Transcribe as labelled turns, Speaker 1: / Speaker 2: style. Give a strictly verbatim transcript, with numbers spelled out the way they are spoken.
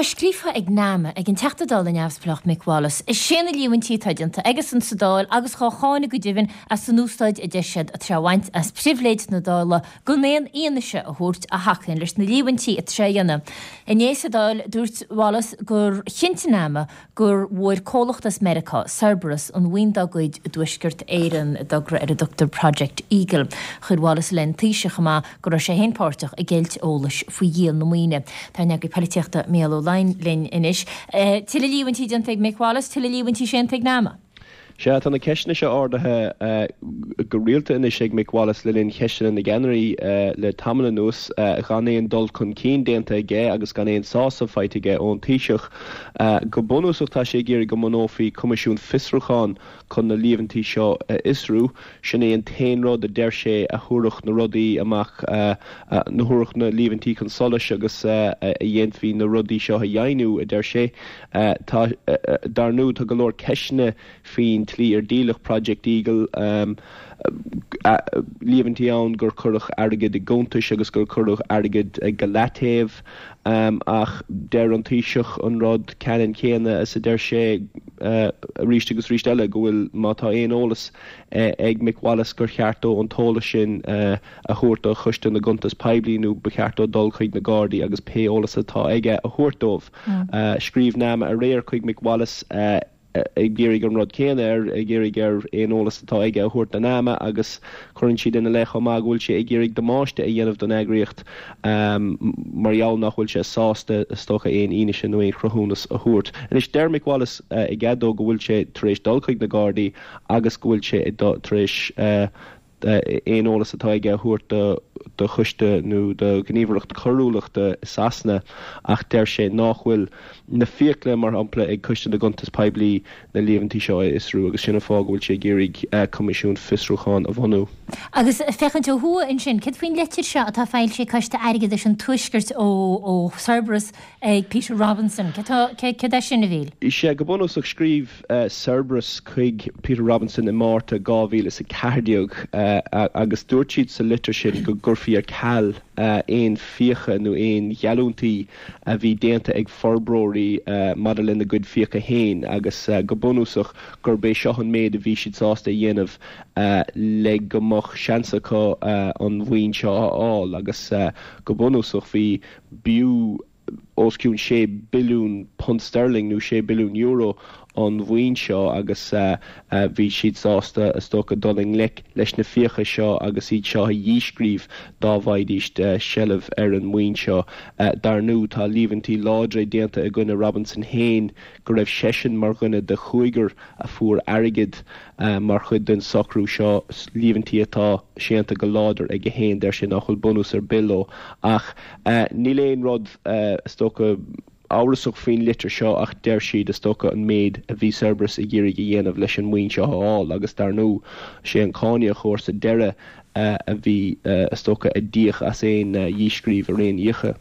Speaker 1: Tá scríofa ag NAMA ag an Teachta Dála neamhspleách Mick Wallace is sé na líomhaintí atá déanta aigesan sa Dáil agus á cháineadh go deimhin as an úsáid a deir siad atá á bhaint as pribhléid na Dála gan aon fhianaise a thabhairt a thacaíonn leis na líomhaintí atá á ndéanamh. Inné sa Dáil dúirt Wallace gur chinntigh NAMA gur bhfuair comhlacht as Meiriceá Cerberus an mhaoin dá gcuid i dTuaisceart Éireann i dtogra ar a dtugtar Project Eagle. Chuir Wallace i leith an Taoisigh chomh maith go raibh sé féin páirteach i gceilt eolais faoi dhíol na maoine. Tá an eagraí polaitíochta Mícheál Ó Laighin linn anois. Eh, Tuilleadh líomhaintí déanta ag Mick Wallace, tuilleadh líomhaintí séanta ag NAMA.
Speaker 2: Sea tá na ceisteanna seo ardaithe uh, go rialta anois ag Mick Wallace le linn cheisteanna na gceannairí uh, le tamall anuas uh, gan aon dul chun cinn déanta aige agus gan aon sásamh faighte aige ón Taoiseach. Uh, go bunúsach tá sé ag iarraidh go mbunófaí coimisiún fiosrúcháin chun na líomhaintí seo a fhiosrú, sin é an t-aon rud a deir sé a thabharfadh na rudaí amach uh, uh, na thabharfadh na líomhaintí chun solais agus uh, a dhéanfaí na rudaí seo a dheimhniú a deir sé. Uh, tá uh, dar ndóigh tá go leor ceisteanna faoin tslí ar díoladh Project Eagle um, líomhaintí ann gur cuireadh airgead i gcuntais agus gur cuireadh airgead go leataobh um, ach deir an Taoiseach an rud ceannann céanna is a deir sé uh, arís agus arís eile go bhfuil má tá aon eolas uh, ag Mick Wallace gur cheart dó an t-eolas sin uh, a thabhairt do Choiste na gCuntas Poiblí nó ba cheart dó dul chuig na Gardaí agus pé eolas atá aige a thabhairt dóibh. Mm. Uh, scríobh NAMA aréir chuig Mick Wallace uh, ag iarraidh an rud céanna air ag iarraidh air aon eolas atá aige a thabhairt do NAMA agus cuireann siad ina leith chomh maith go bhfuil sé ag iarraidh damáiste a dhéanamh don eagraíocht um, mar gheall nach bhfuil sé sásta is dócha aon fhianaise nó aon chruthúnas a thabhairt. Anois deir Mick Wallace uh, i gcead dó go bhfuil sé tar éis dul chuig na Gardaí agus go bhfuil sé tar éis uh, aon eolas atá aige a thabhairt do do choiste nó do ghníomhaireacht coiriúlachta i Sasana ach deir sé nach bhfuil na fiacla mar shampla ag Coiste na gCuntas Poiblí na líomhaintí seo a fhiosrú agus sin an fáth go bhfuil sé ag iarraidh uh, coimisiún fiosrúcháin a bhunú.
Speaker 1: Agus féachaint ó thuaidh ansin, cad faoin litir seo atá foilsithe ag Coiste Airgeadais an Tuaiscirt ó ó Cerberus ag Peter Robinson, Cad é sin a Mhíchíl?
Speaker 2: Sé go bunúsach scríobh uh, Cerberus chuig Peter Robinson i Márta dhá mhíle is a ceathair déag uh, agus dúirt siad sa litir sin go gcuirfí ar ceal uh, aon fiacha nó aon gheallúintí a bhí déanta ag forbróirí uh, maidir lena gcuid fiacha féin agus uh, go bunúsach gurb é seo an méid a bhí siad sásta a dhéanamh uh, le go mbeadh seans acu uh, an mhaoin seo a fháil agus uh, go bunúsach bhí b'fhiú os cionn sé billiún punt sterling nó sé billiún euro an mhaoin seo agus uh, uh, bhí siad sásta is dócha dul i ngleic leis na fiacha seo agus iad seo a dhíscríobh dá bhfaighidís uh, seilbh ar an maoin seo uh, dar ndóigh tá líomhaintí láidre déanta i gcoinne Robinson féin go raibh seisean mar dhuine de chúigear a fuair airgead uh, mar chuid den socrú seo líomhaintí atá séanta go láidir aige féin deir sé nach bhfuil bunús ar bith leo ach uh, níl aon rud uh, is dócha amhrasach faoin litir seo ach deir siad is dócha an méid a bhí Cerberus ag iarraidh a dhéanamh leis an maoin seo a fháil agus dar ndóigh sé an cáiníocóir sa deireadh uh, a bhí uh, is dócha a d'íoc as aon uh, dhíscríobh ar aon fhiacha.